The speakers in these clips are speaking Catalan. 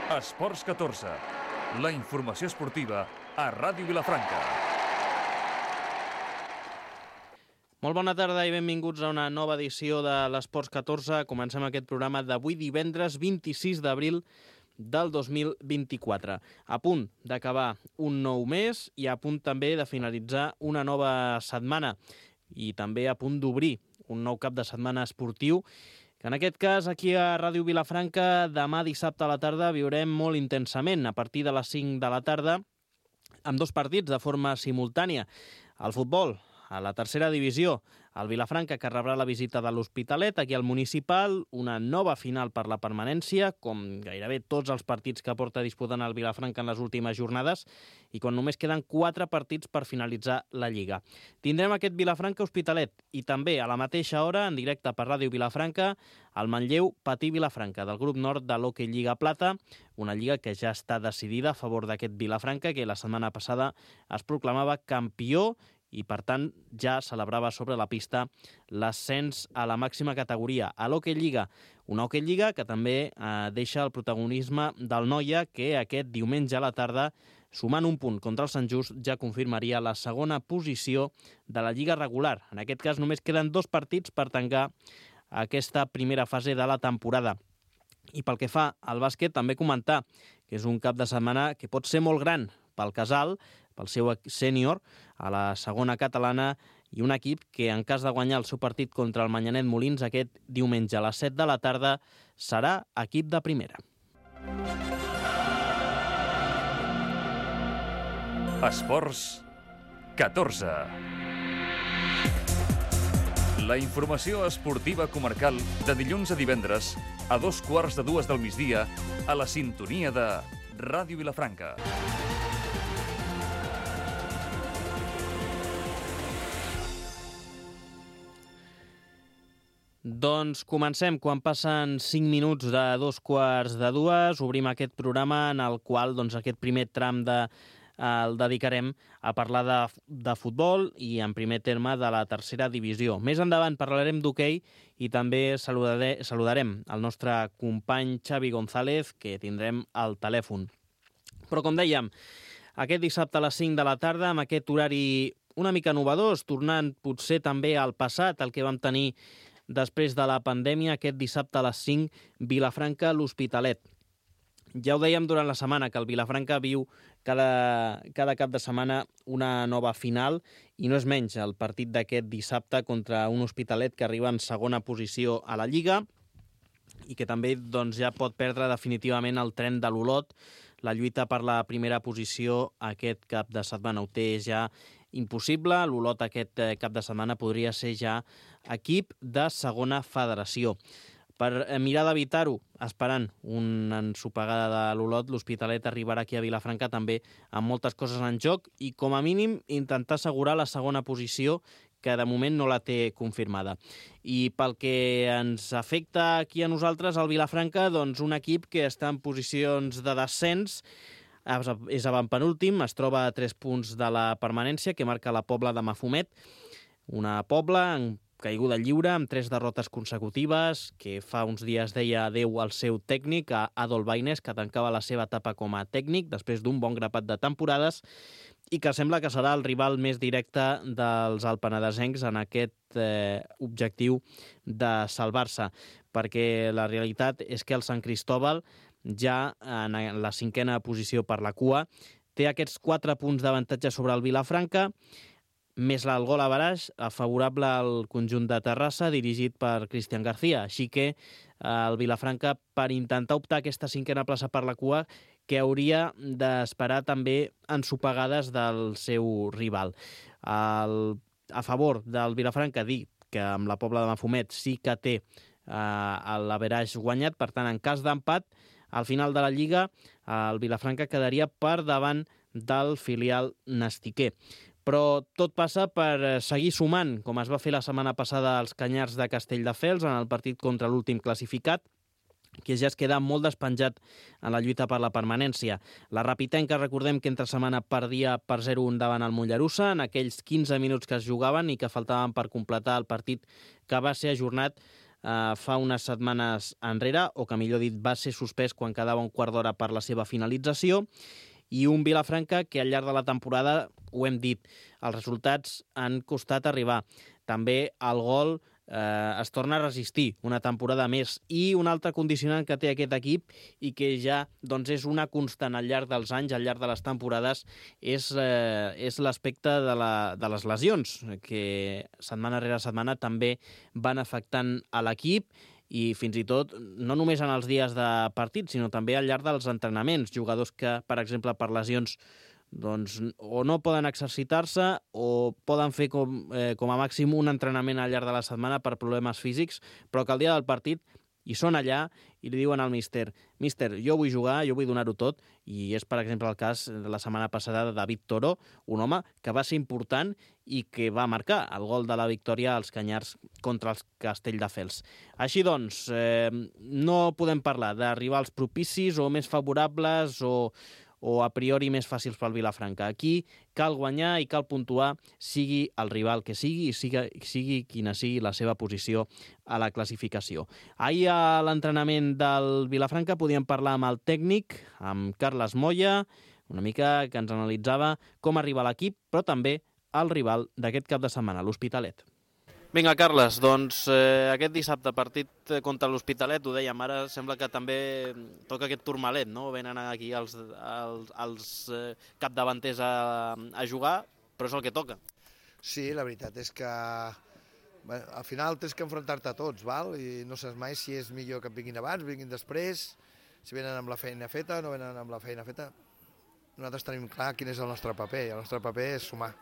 Esports 14, la informació esportiva a Ràdio Vilafranca. Molt bona tarda i benvinguts a una nova edició de l'Esports 14. Comencem aquest programa d'avui divendres 26 d'abril del 2024. A punt d'acabar un nou mes i a punt també de finalitzar una nova setmana i també a punt d'obrir un nou cap de setmana esportiu que en aquest cas aquí a Ràdio Vilafranca demà dissabte a la tarda viurem molt intensament a partir de les 5 de la tarda amb dos partits de forma simultània. El futbol, a la tercera divisió, el Vilafranca que rebrà la visita de l'Hospitalet aquí al Municipal, una nova final per la permanència, com gairebé tots els partits que porta disputant el Vilafranca en les últimes jornades i quan només queden 4 partits per finalitzar la Lliga. Tindrem aquest Vilafranca-Hospitalet i també a la mateixa hora, en directe per Ràdio Vilafranca, el Manlleu Patí Vilafranca, del grup nord de l'Hockey Lliga Plata, una lliga que ja està decidida a favor d'aquest Vilafranca, que la setmana passada es proclamava campió i, per tant, ja celebrava sobre la pista l'ascens a la màxima categoria, a l'Hockey Lliga. Una Hockey Lliga que també deixa el protagonisme del Noia, que aquest diumenge a la tarda, sumant un punt contra el Sant Just, ja confirmaria la segona posició de la Lliga regular. En aquest cas només queden 2 partits per tancar aquesta primera fase de la temporada. I pel que fa al bàsquet, també comentar que és un cap de setmana que pot ser molt gran pel Casal, pel seu sènior, a la segona catalana, i un equip que, en cas de guanyar el seu partit contra el Manyanet Molins aquest diumenge a les 7 de la tarda, serà equip de primera. Esports 14. La informació esportiva comarcal de dilluns a divendres a 2:15 del migdia a la sintonia de Ràdio Vilafranca. Doncs comencem. Quan passen 5 minuts de 2:15, obrim aquest programa en el qual aquest primer tram el dedicarem a parlar de futbol i en primer terme de la tercera divisió. Més endavant parlarem d'hoquei i també saludarem el nostre company Xavi González, que tindrem al telèfon. Però com dèiem, aquest dissabte a les 5 de la tarda, amb aquest horari una mica novedós, tornant potser també al passat, el que vam tenir després de la pandèmia, aquest dissabte a les 5, Vilafranca, l'Hospitalet. Ja ho dèiem durant la setmana, que el Vilafranca viu cada cap de setmana una nova final, i no és menys el partit d'aquest dissabte contra un Hospitalet que arriba en segona posició a la Lliga i que també ja pot perdre definitivament el tren de l'Olot. La lluita per la primera posició aquest cap de setmana ho té ja impossible. L'Olot aquest cap de setmana podria ser ja equip de segona federació. Per mirar d'evitar-ho, esperant una ensopegada de l'Olot, l'Hospitalet arribarà aquí a Vilafranca també amb moltes coses en joc i, com a mínim, intentar assegurar la segona posició, que de moment no la té confirmada. I pel que ens afecta aquí a nosaltres, al Vilafranca, un equip que està en posicions de descens, és avantpenúltim, es troba a 3 punts de la permanència, que marca la Pobla de Mafumet, una Pobla en caiguda lliure, amb 3 derrotes consecutives, que fa uns dies deia adeu al seu tècnic, a Adol Baines, que tancava la seva etapa com a tècnic després d'un bon grapat de temporades, i que sembla que serà el rival més directe dels alpenadesencs en aquest objectiu de salvar-se, perquè la realitat és que el Sant Cristóbal, ja en la 5a posició per la cua, té aquests 4 punts d'avantatge sobre el Vilafranca, més el gol average favorable al conjunt de Terrassa, dirigit per Cristian García. Així que el Vilafranca, per intentar optar a aquesta 5a plaça per la cua, que hauria d'esperar també ensopegades del seu rival. A favor del Vilafranca, dir que amb la Pobla de Mafumet sí que té l'average guanyat, per tant, en cas d'empat, al final de la Lliga, el Vilafranca quedaria per davant del filial nastiquer. Però tot passa per seguir sumant, com es va fer la setmana passada als Canyars de Castelldefels en el partit contra l'últim classificat, que ja es queda molt despenjat en la lluita per la permanència. La Rapitenca, recordem que entre setmana perdia per 0-1 davant el Mollerussa en aquells 15 minuts que es jugaven i que faltaven per completar el partit que va ser ajornat fa unes setmanes enrere, o que millor dit va ser suspès quan quedava un quart d'hora per la seva finalització, i un Vilafranca que al llarg de la temporada, ho hem dit, els resultats han costat arribar. També el gol es torna a resistir una temporada més. I un altre condicionant que té aquest equip i que ja doncs, és una constant al llarg dels anys, al llarg de les temporades, és l'aspecte de les lesions, que setmana rere setmana també van afectant a l'equip, i fins i tot no només en els dies de partit, sinó també al llarg dels entrenaments. Jugadors que, per exemple, per lesions doncs, o no poden exercitar-se o poden fer com a màxim un entrenament al llarg de la setmana per problemes físics, però que el dia del partit hi són allà i li diuen al míster, jo vull jugar, jo vull donar-ho tot, i és, per exemple, el cas de la setmana passada de David Toro, un home que va ser important i que va marcar el gol de la victòria als Canyars contra els Castelldefels. Així doncs, no podem parlar d'arribar als propicis o més favorables o a priori més fàcils pel Vilafranca. Aquí cal guanyar i cal puntuar, sigui el rival que sigui i sigui quina sigui la seva posició a la classificació. Ahir a l'entrenament del Vilafranca podíem parlar amb el tècnic, amb Carles Moya, una mica que ens analitzava com arriba l'equip, però també el rival d'aquest cap de setmana, l'Hospitalet. Vinga, Carles, doncs aquest dissabte partit contra l'Hospitalet, ho dèiem, ara sembla que també toca aquest turmalet, no? Venen aquí els capdavanters a jugar, però és el que toca. Sí, la veritat és que al final tens que enfrontar-te a tots, val? I no saps mai si és millor que vinguin abans, vinguin després, si venen amb la feina feta, no venen amb la feina feta. Nosaltres tenim clar quin és el nostre paper, i el nostre paper és sumar.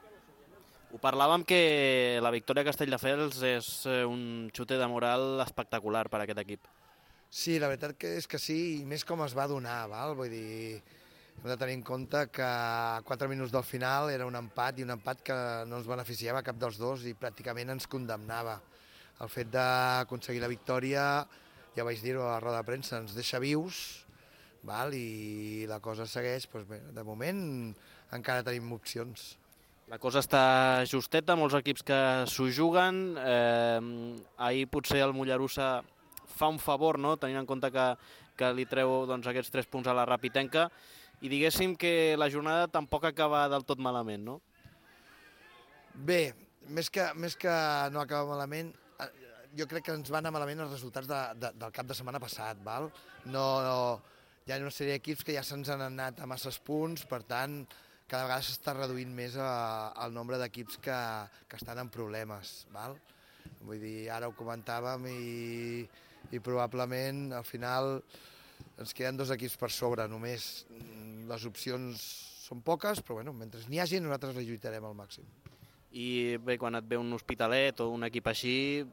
Ho parlàvem que la victòria a Castelldefels és un xute de moral espectacular per a aquest equip. Sí, la veritat que és que sí, i més com es va donar, val? Vull dir, hem de tenir en compte que a 4 minuts del final era un empat, i un empat que no ens beneficiava cap dels dos i pràcticament ens condemnava. El fet d'aconseguir la victòria, ja vaig dir-ho a la roda de premsa, ens deixa vius, val? I la cosa segueix, doncs bé, de moment encara tenim opcions. La cosa està justeta, molts equips que s'ho juguen. Ahir potser el Mollerussa fa un favor, no? Tenint en compte que li treu doncs, aquests 3 punts a la Rapitenca, i diguéssim que la jornada tampoc acaba del tot malament, no? Bé, més que no acaba malament, jo crec que ens van anar malament els resultats del cap de setmana passat, val? No, hi ha una sèrie d'equips que ja se'ns han anat a masses punts, per tant, cada vegada s'està reduint més el nombre d'equips que estan en problemes, val? Vull dir, ara ho comentàvem i probablement al final ens queden 2 equips per sobre només. Les opcions són poques, però bueno, mentre n'hi hagi nosaltres les lluitarem al màxim. I bé, quan et ve un Hospitalet o un equip així,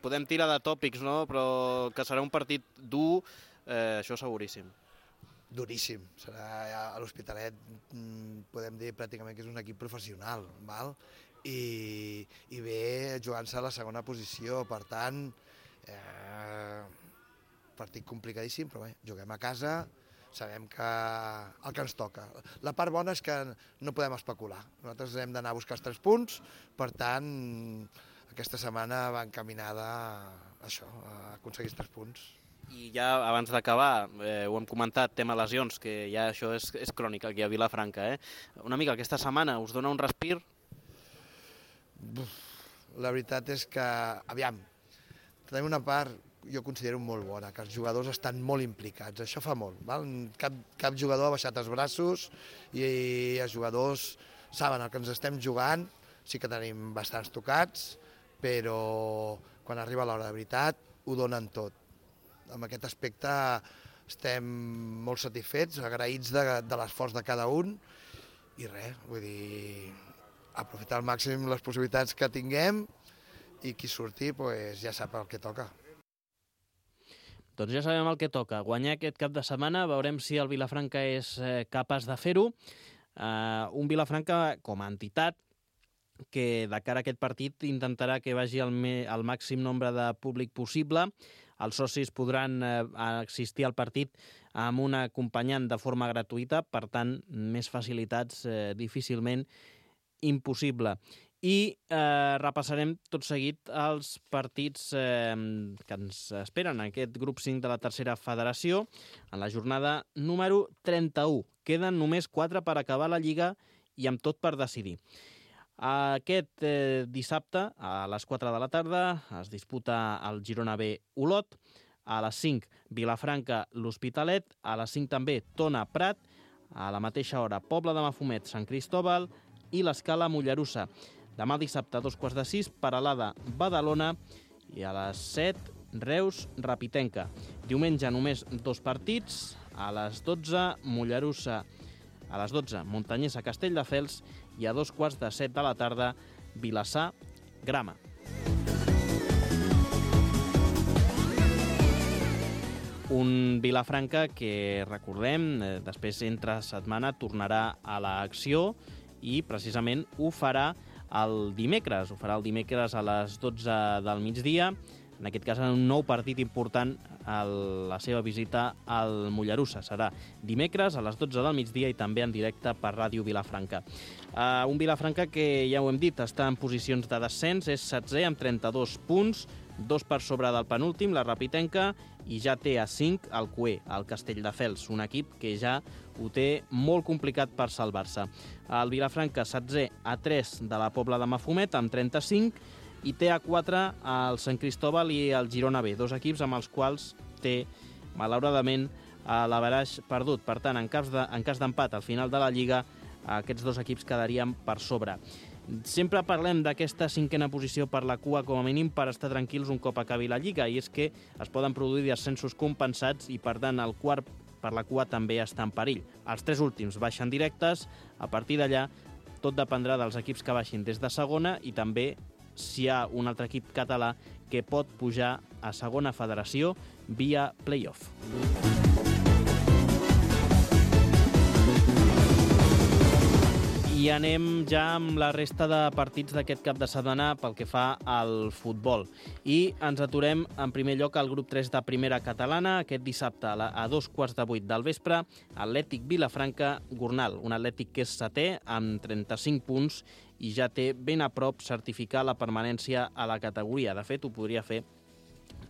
podem tirar de tòpics, no? Però que serà un partit dur, això seguríssim. Duríssim. Serà a l'Hospitalet, podem dir pràcticament que és un equip professional, val? I ve jugant-se a la segona posició, per tant, partit complicadíssim, però bé, juguem a casa, sabem que el que ens toca. La part bona és que no podem especular. Nosaltres hem d'anar a buscar els 3 punts, per tant, aquesta setmana va encaminada a això, a aconseguir els 3 punts. I ja abans d'acabar, ho hem comentat, tema lesions, que ja això és crònica aquí a Vilafranca. Una mica aquesta setmana us dona un respir? La veritat és que, aviam, tenim una part, jo considero molt bona, que els jugadors estan molt implicats, això fa molt. Val? Cap jugador ha baixat els braços i els jugadors saben el que ens estem jugant, sí que tenim bastants tocats, però quan arriba l'hora de veritat ho donen tot. En aquest aspecte estem molt satisfets, agraïts de l'esforç de cada un i res, vull dir, aprofitar al màxim les possibilitats que tinguem i qui surti pues, ja sap el que toca. Doncs ja sabem el que toca. Guanyar aquest cap de setmana, veurem si el Vilafranca és capaç de fer-ho. Un Vilafranca com a entitat que de cara a aquest partit intentarà que vagi el màxim nombre de públic possible. Els socis podran assistir al partit amb un acompanyant de forma gratuïta, per tant, més facilitats difícilment impossible. i repassarem tot seguit els partits que ens esperen en aquest grup 5 de la tercera federació en la jornada número 31. Queden només 4 per acabar la Lliga i amb tot per decidir. Aquest dissabte, a les 4 de la tarda, es disputa el Girona B Olot, a les 5 Vilafranca l'Hospitalet, a les 5 també Tona Prat, a la mateixa hora Pobla de Mafumet Sant Cristóbal i l'Escala Mollerussa. Demà dissabte a 5:45 Peralada Badalona i a les 7 Reus Rapitenca. Diumenge només 2 partits, a les 12 Mollerussa, a les 12 Montanyesa Castelldefels i a 2:15 de la tarda Vilassar Grama. Un Vilafranca que, recordem, després entre setmana tornarà a l'acció i precisament ho farà el dimecres. Ho farà el dimecres a les 12 del migdia, en aquest cas en un nou partit important a la seva visita al Mollerussa. Serà dimecres a les 12 del migdia i també en directe per Ràdio Vilafranca. Un Vilafranca que, ja ho hem dit, està en posicions de descens, és 16è amb 32 punts, 2 per sobre del penúltim, la Rapitenca, i ja té a 5 el Cué, el Castelldefels, un equip que ja ho té molt complicat per salvar-se. El Vilafranca 16è a 3 de la Pobla de Mafumet amb 35 i té a 4 el Sant Cristóbal i el Girona B, dos equips amb els quals té, malauradament, l'averaix perdut. Per tant, en cas d'empat al final de la Lliga, aquests dos equips quedarien per sobre. Sempre parlem d'aquesta 5a posició per la cua com a mínim per estar tranquils un cop acabi la Lliga, i és que es poden produir descensos compensats i, per tant, el quart per la cua també està en perill. Els 3 últims baixen directes, a partir d'allà tot dependrà dels equips que baixin des de segona i també si hi ha un altre equip català que pot pujar a segona federació via play-off. I anem ja amb la resta de partits d'aquest cap de setmana pel que fa al futbol. I ens aturem en primer lloc al grup 3 de primera catalana. Aquest dissabte a 7:15 del vespre, Atlètic Vilafranca-Gornal. Un Atlètic que és 7è amb 35 punts i ja té ben a prop certificar la permanència a la categoria. De fet, ho podria fer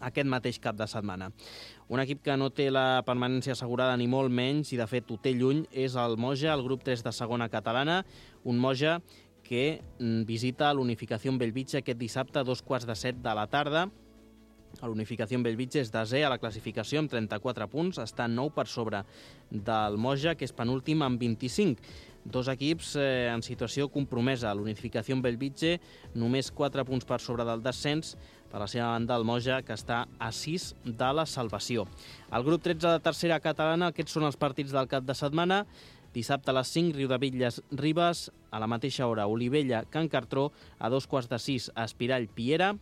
aquest mateix cap de setmana. Un equip que no té la permanència assegurada ni molt menys i de fet ho té lluny és el Moja, el grup 3 de segona catalana, un Moja que visita l'Unificació Bellvitge aquest dissabte a 2:15 de la tarda. L'Unificació Bellvitge és 10è a la classificació amb 34 punts, està 9 per sobre del Moja, que és penúltim amb 25. Dos equips en situació compromesa. L'Unificació Bellvitge només 4 punts per sobre del descens, per la seva banda el Moja, que està a 6 de la salvació. El grup 13 de tercera catalana, aquests són els partits del cap de setmana. Dissabte a les 5, Riudebitlles-Ribes, a la mateixa hora Olivella-Can Cartró, a 2:15 Espirall-Piera,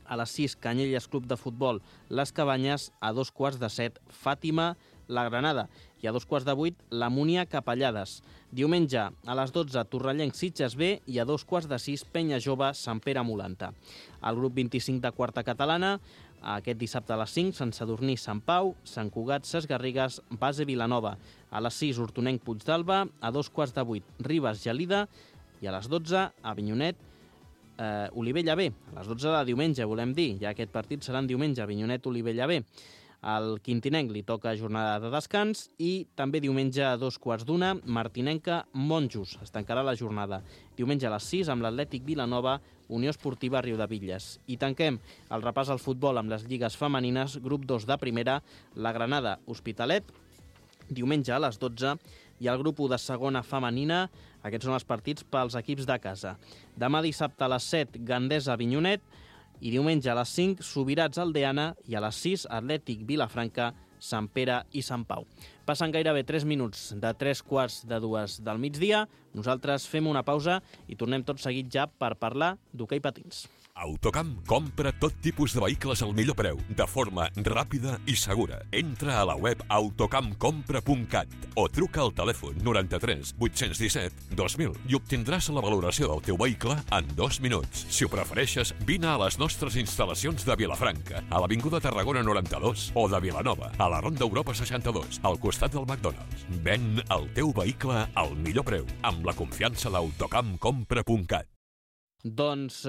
a les 6 Canyelles Club de Futbol Les Cabanyes, a 2:15 Fàtima-La Granada i a 7:15 la Múnia Capellades. Diumenge a les 12 Torrellenc Sitges B i a 2:15 Penya Jove Sant Pere Molanta. El grup 25 de quarta catalana, aquest dissabte a les 5 Sant Sadurní Sant Pau, Sant Cugat Ses Garrigues, Base Vilanova. A les 6 Hortonenc Puigdàlber, a 2:15 Ribes Gelida i a les 12 Avinyonet Olivella B. A les 12 de diumenge, volem dir, ja aquest partit serà en diumenge, Avinyonet-Olivella B. Al Quintinenc li toca jornada de descans i també diumenge a 2:15 Martinenca-Monjos. Es tancarà la jornada. Diumenge a les 6 amb l'Atlètic Vilanova, Unió Esportiva Riudebitlles. I tanquem el repàs al futbol amb les lligues femenines, grup 2 de primera, la Granada Hospitalet, diumenge a les 12, i el grup 1 de segona femenina. Aquests són els partits pels equips de casa. Demà dissabte a les 7, Gandesa-Avinyonet, i diumenge a les 5, Subirats Aldeana, i a les 6, Atlètic Vilafranca, Sant Pere i Sant Pau. Passen gairebé 3 minuts de 3:15 del migdia. Nosaltres fem una pausa i tornem tot seguit ja per parlar d'hoquei patins. Autocamp compra tot tipus de vehicles al millor preu, de forma ràpida i segura. Entra a la web autocampcompra.cat o truca al telèfon 93 817 2000 i obtindràs la valoració del teu vehicle en 2 minuts. Si ho prefereixes, vine a les nostres instal·lacions de Vilafranca, a l'Avinguda Tarragona 92, o de Vilanova, a la Ronda Europa 62, al costat del McDonald's. Ven el teu vehicle al millor preu, amb la confiança d'Autocampcompra.cat. Doncs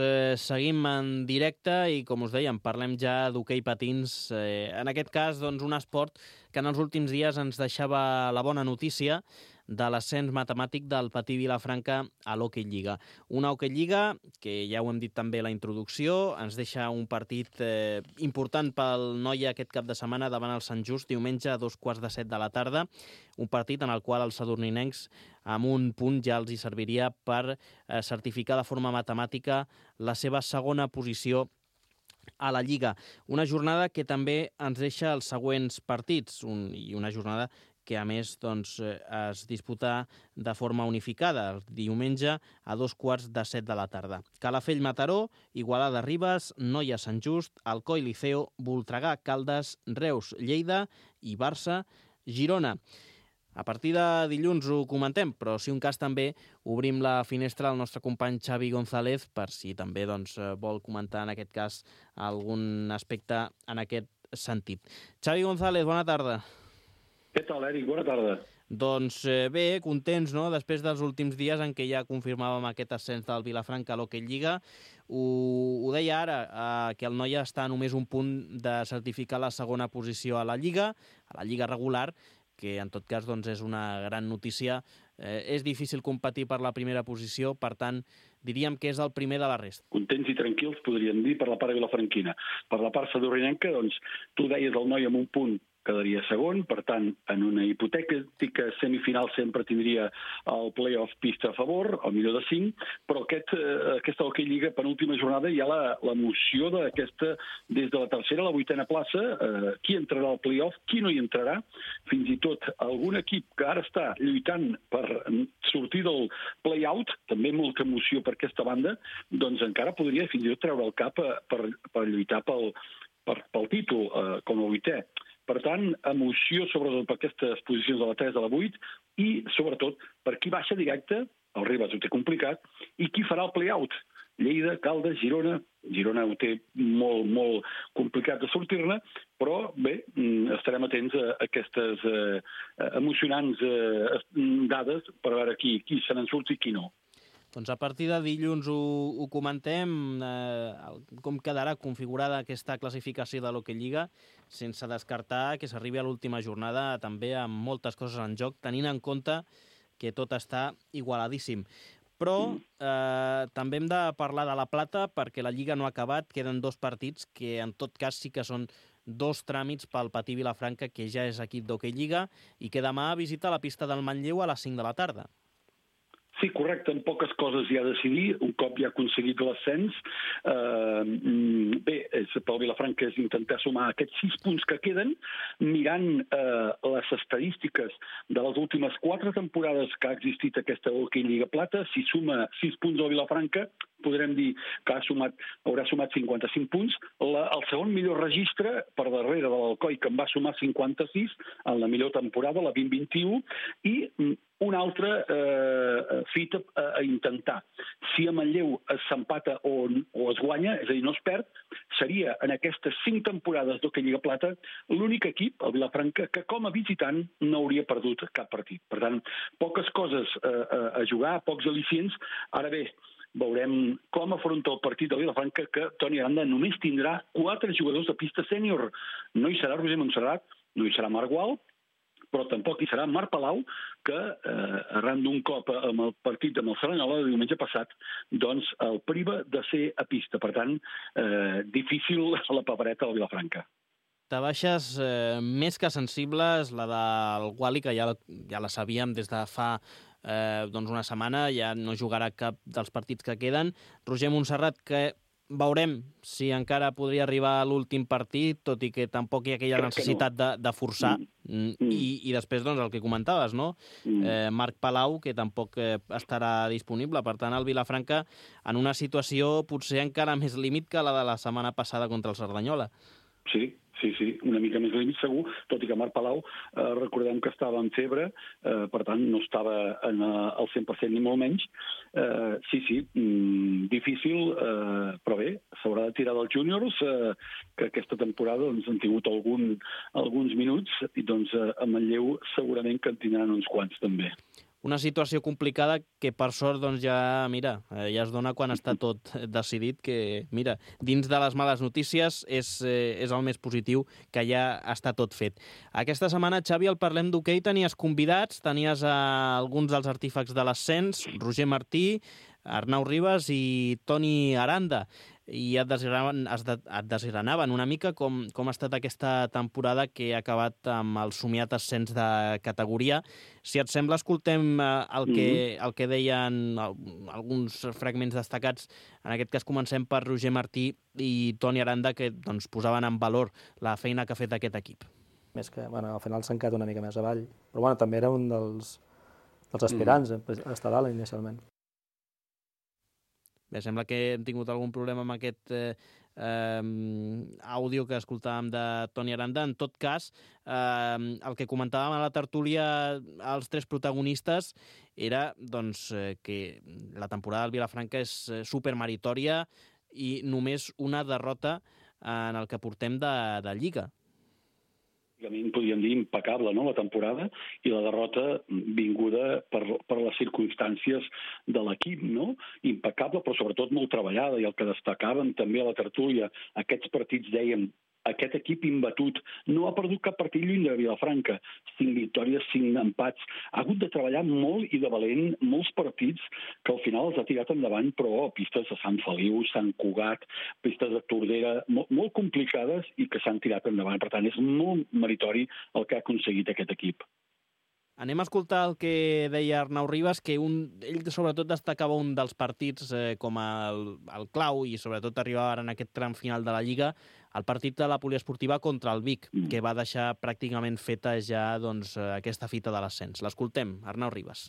seguim en directe i, com us dèiem, parlem ja d'hoquei patins. En aquest cas, doncs, un esport que en els últims dies ens deixava la bona notícia de l'ascens matemàtic del Patí Vilafranca a l'Hockey Lliga. Una Hockey Lliga que, ja ho hem dit també a la introducció, ens deixa un partit important pel Noia aquest cap de setmana davant el Sant Just, diumenge a 7:15 p.m, un partit en el qual els sadurninencs amb un punt ja els hi serviria per certificar de forma matemàtica la seva segona posició a la Lliga. Una jornada que també ens deixa els següents partits, i una jornada que a més doncs, es disputa de forma unificada, el diumenge a 7:15 p.m. Calafell-Mataró, Igualada-Ribes, Noia-Sant Just, Alcoi-Liceo, Voltregà, Caldes, Reus, Lleida i Barça-Girona. A partir de dilluns ho comentem, però si un cas també obrim la finestra al nostre company Xavi González per si també doncs, vol comentar en aquest cas algun aspecte en aquest sentit. Xavi González, bona tarda. Què tal, Eric? Bona tarda. Doncs bé, contents, no?, després dels últims dies en què ja confirmàvem aquest ascens del Vilafranca a l'Hockey Lliga. Ho deia ara, que el Noia està a només un punt de certificar la segona posició a la Lliga regular, que en tot cas doncs, és una gran notícia. És difícil competir per la primera posició, per tant, diríem que és el primer de la resta. Contents i tranquils, podríem dir, per la part vilafranquina. Per la part sadurrinenca, doncs, tu deies el Noia amb un punt quedaria segon, per tant, en una hipotètica semifinal sempre tindria el play-off pista a favor, al millor de 5, però aquesta Hockey Lliga penúltima jornada hi ha l'emoció d'aquesta, des de la tercera a la 8a plaça, qui entrarà al play-off, qui no hi entrarà, fins i tot algun equip que ara està lluitant per sortir del play-out, també molta emoció per aquesta banda, doncs encara podria fins i tot treure el cap per lluitar pel títol com a 8è. Per tant, emoció sobretot per aquestes posicions de la 3 de la 8 i, sobretot, per qui baixa directe, el Ribes ho té complicat, i qui farà el play-out. Lleida, Caldes, Girona. Girona ho té molt, molt complicat de sortir-ne, però bé, estarem atents a aquestes emocionants dades per veure qui se n'en surt i qui no. Doncs a partir de dilluns ho comentem, com quedarà configurada aquesta classificació de l'Hockey Lliga, sense descartar que s'arribi a l'última jornada també amb moltes coses en joc, tenint en compte que tot està igualadíssim. Però també hem de parlar de la plata perquè la Lliga no ha acabat, queden 2 partits que en tot cas sí que són 2 tràmits pel Patí Vilafranca, que ja és equip d'Hockey Lliga i que demà visita la pista del Manlleu a les 5 de la tarda. Sí, correcte, en poques coses hi ha a decidir, un cop ja ha aconseguit l'ascens. Bé, pel Vilafranca és intentar sumar aquests 6 punts que queden, mirant les estadístiques de les últimes 4 temporades que ha existit aquesta Hockey Lliga Plata. Si suma 6 punts al Vilafranca, podrem dir que haurà sumat 55 punts. El segon millor registre, per darrere de l'Alcoi, que en va sumar 56 en la millor temporada, la 2021, i una altra fita a intentar. Si a Manlleu s'empata o es guanya, és a dir, no es perd, seria en aquestes 5 temporades d'Hockey Lliga Plata l'únic equip, el Vilafranca, que com a visitant no hauria perdut cap partit. Per tant, poques coses a jugar, pocs al·licients. Ara bé, veurem com afronta el partit del Vilafranca, que Toni Aranda només tindrà 4 jugadors de pista sènior. No hi serà Roger Montserrat, no hi serà Marc Gual, però tampoc hi serà Marc Palau, que arran d'un cop amb el partit amb el Cerdanyola de diumenge passat, doncs el priva de ser a pista. Per tant, difícil la papereta del Vilafranca. De baixes més que sensibles, la del Guali, que ja la sabíem des de fa una setmana, ja no jugarà cap dels partits que queden. Roger Montserrat, que veurem si encara podria arribar a l'últim partit, tot i que tampoc hi ha aquella necessitat de forçar. I després, doncs, el que comentaves, no? Marc Palau, que tampoc estarà disponible. Per tant, el Vilafranca en una situació potser encara més límit que la de la setmana passada contra el Cerdanyola. Sí, una mica més límit segur, tot i que Marc Palau, recordem que estava en febre, per tant no estava al 100% ni molt menys. Sí, difícil, però bé, s'haurà de tirar dels júniors, que aquesta temporada han tingut alguns minuts, i doncs a Manlleu segurament que en tindran uns quants també. una situació complicada que per sort doncs ja es dona quan està tot decidit, que mira, dins de les males notícies és el més positiu, que ja està tot fet. Aquesta setmana, Xavi, al Parlem d'Hoquei tenies convidats, tenies alguns dels artífecs de l'ascens, Roger Martí, Arnau Ribas i Toni Aranda, i et desgranaven una mica com ha estat aquesta temporada que ha acabat amb el somiat ascens de categoria. Si et sembla, escoltem el que deien alguns fragments destacats. En aquest cas comencem per Roger Martí i Toni Aranda, que doncs, posaven en valor la feina que ha fet aquest equip. Més que, al final s'han quedat una mica més avall, però també era un dels aspirants a estar dalt inicialment. Bé, sembla que hem tingut algun problema amb aquest àudio que escoltàvem de Toni Aranda. En tot cas, el que comentàvem a la tertúlia els tres protagonistes era doncs, que la temporada del Vilafranca és supermeritòria i només una derrota en el que portem de Lliga. Podríem dir impecable, no?, la temporada, i la derrota vinguda per les circumstàncies de l'equip, no? Impecable, però sobretot molt treballada, i el que destacàvem també a la tertúlia, aquests partits, dèiem, aquest equip imbatut no ha perdut cap partit lluny de Vilafranca. 5 victòries, 5 empats. Ha hagut de treballar molt i de valent molts partits que al final els ha tirat endavant, però pistes de Sant Feliu, Sant Cugat, pistes de Tordera, molt complicades i que s'han tirat endavant. Per tant, és molt meritori el que ha aconseguit aquest equip. Anem a escoltar el que deia Arnau Ribas, que ell sobretot destacava un dels partits com el clau i sobretot arribava ara en aquest tram final de la Lliga, el partit de la poliesportiva contra el Vic, que va deixar pràcticament feta ja doncs, aquesta fita de l'ascens. L'escoltem, Arnau Ribas.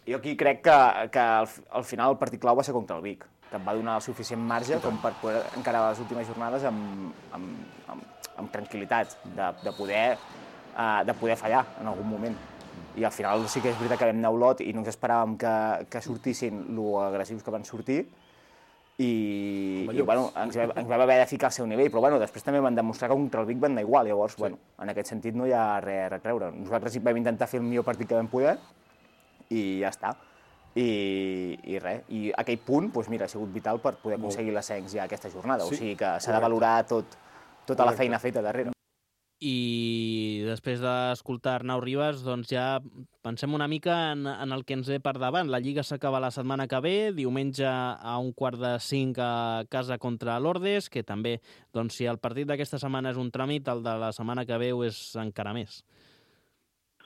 Jo aquí crec que al final el partit clau va ser contra el Vic, que em va donar el suficient marge com per poder encarar les últimes jornades amb tranquil·litat, de poder fallar en algun moment. I al final sí que és veritat que vam anar a Olot i no ens esperàvem que sortissin lo agressius que van sortir i ens vam haver de ficar al seu nivell, però després també van demostrar que contra el Vic van anar igual, llavors en aquest sentit no hi ha res a creure. Nosaltres vam intentar fer el millor partit que vam poder i ja està. I res, i aquell punt ha sigut vital per poder aconseguir l'ascens ja aquesta jornada, o sigui que s'ha de valorar tota la feina feta darrere. I després d'escoltar Arnau Ribas, doncs ja pensem una mica en el que ens ve per davant. La Lliga s'acaba la setmana que ve, diumenge a 4:45 a casa contra l'Ordes, que també, doncs, si el partit d'aquesta setmana és un tràmit, el de la setmana que ve és encara més.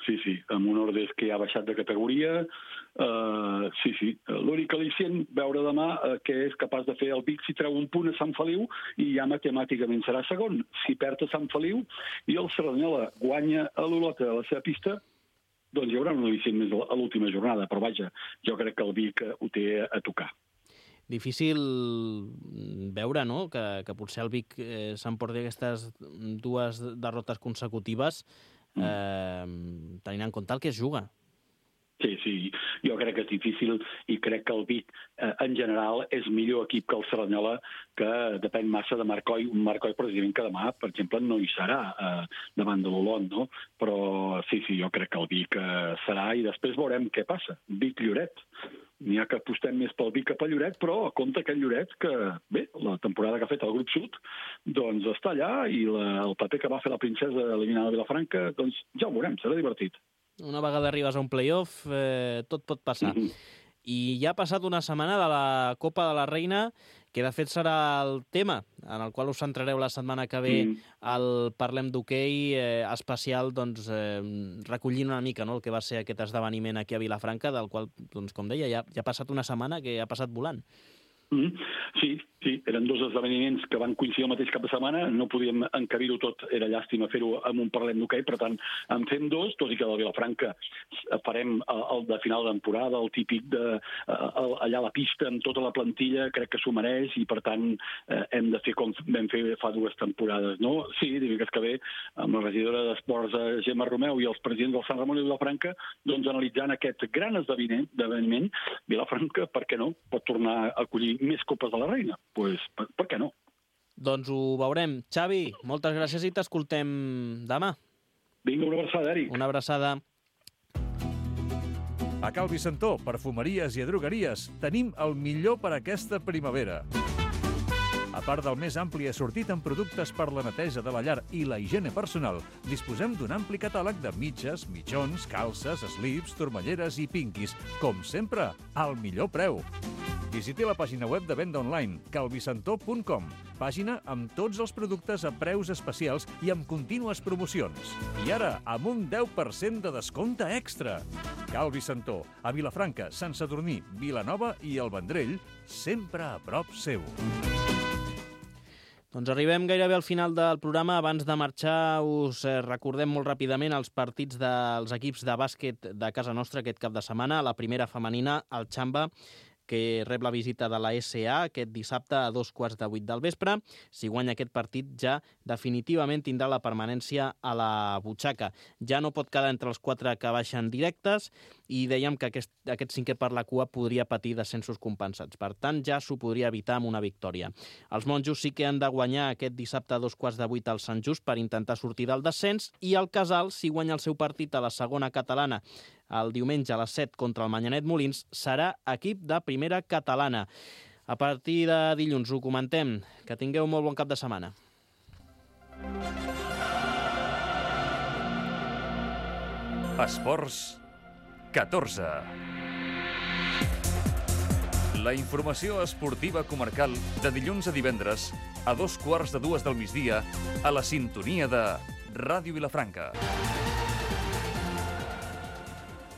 Sí, amb un Ordes que ja ha baixat de categoria. Sí. L'únic al·licient, veure demà què és capaç de fer el Vic si treu un punt a Sant Feliu i ja matemàticament serà segon. Si perd a Sant Feliu i el Cerdanyola guanya a l'Olot a la seva pista, doncs hi haurà un al·licient més a l'última jornada. Però vaja, jo crec que el Vic ho té a tocar. Difícil veure, no?, que potser el Vic s'emporti aquestes 2 derrotes consecutives tenint en compte el que es juga. Sí, jo crec que és difícil i crec que el Vic, en general, és millor equip que el Cerdanyola, que depèn massa de Marcoi. Un Marcoi, precisament, que demà, per exemple, no hi serà davant de l'Olot, no? Però sí, jo crec que el Vic serà i després veurem què passa. Vic-Lloret. N'hi ha que apostem més pel Vic que pel Lloret, però compte aquest Lloret que, bé, la temporada que ha fet el grup sud, doncs està allà i el paper que va fer la princesa eliminada de Vilafranca, doncs ja ho veurem, serà divertit. Una vegada arribes a un play-off, tot pot passar. I ja ha passat una setmana de la Copa de la Reina, que de fet serà el tema en el qual us centrareu la setmana que ve al Parlem d'Hoquei especial, doncs, recollint una mica, no?, el que va ser aquest esdeveniment aquí a Vilafranca, del qual, doncs, com deia, ja ha passat una setmana que ha passat volant. Sí, eren 2 esdeveniments que van coincidir el mateix cap de setmana, no podíem encabir-ho tot, era llàstima fer-ho amb un Parlem d'Hoquei, per tant, en fem 2, tot i que del Vilafranca farem el de final de temporada, el típic allà a la pista amb tota la plantilla, crec que s'ho mereix i, per tant, hem de fer com vam fer fa 2 temporades, no? Sí, dimecres que ve, amb la regidora d'Esports Gemma Romeu i els presidents del Sant Ramon i Vilafranca, doncs analitzant aquest gran esdeveniment, Vilafranca, per què no, pot tornar a acollir més Copes de la Reina? Doncs per què no? Doncs ho veurem. Xavi, moltes gràcies i t'escoltem demà. Vinga, una abraçada, Eric. Una abraçada. A Cal Vicentó, perfumeries i drogueries, tenim el millor per aquesta primavera. A part del més ampli assortit en productes per la neteja de la llar i la higiene personal, disposem d'un ampli catàleg de mitges, mitjons, calces, slips, turmalleres i pinquis. Com sempre, al millor preu. Visiti la pàgina web de venda online, calvicentó.com, pàgina amb tots els productes a preus especials i amb contínues promocions. I ara, amb un 10% de descompte extra. Cal Vicentó, a Vilafranca, Sant Sadurní, Vilanova i el Vendrell, sempre a prop seu. Doncs arribem gairebé al final del programa. Abans de marxar, us recordem molt ràpidament els partits dels equips de bàsquet de casa nostra aquest cap de setmana. La primera femenina, el Xamba, que rep la visita de la SA aquest dissabte a 7:15 del vespre. Si guanya aquest partit, ja definitivament tindrà la permanència a la butxaca. Ja no pot quedar entre els 4 que baixen directes i dèiem que aquest cinquè per la cua podria patir descensos compensats. Per tant, ja s'ho podria evitar amb una victòria. Els monjos sí que han de guanyar aquest dissabte a 7:15 al Sant Just per intentar sortir del descens, i el Casal, si guanya el seu partit a la segona catalana el diumenge a les 7 contra el Manyanet Molins, serà equip de primera catalana. A partir de dilluns ho comentem. Que tingueu molt bon cap de setmana. Esports 14. La informació esportiva comarcal de dilluns a divendres a 2:15 del migdia a la sintonia de Ràdio Vilafranca.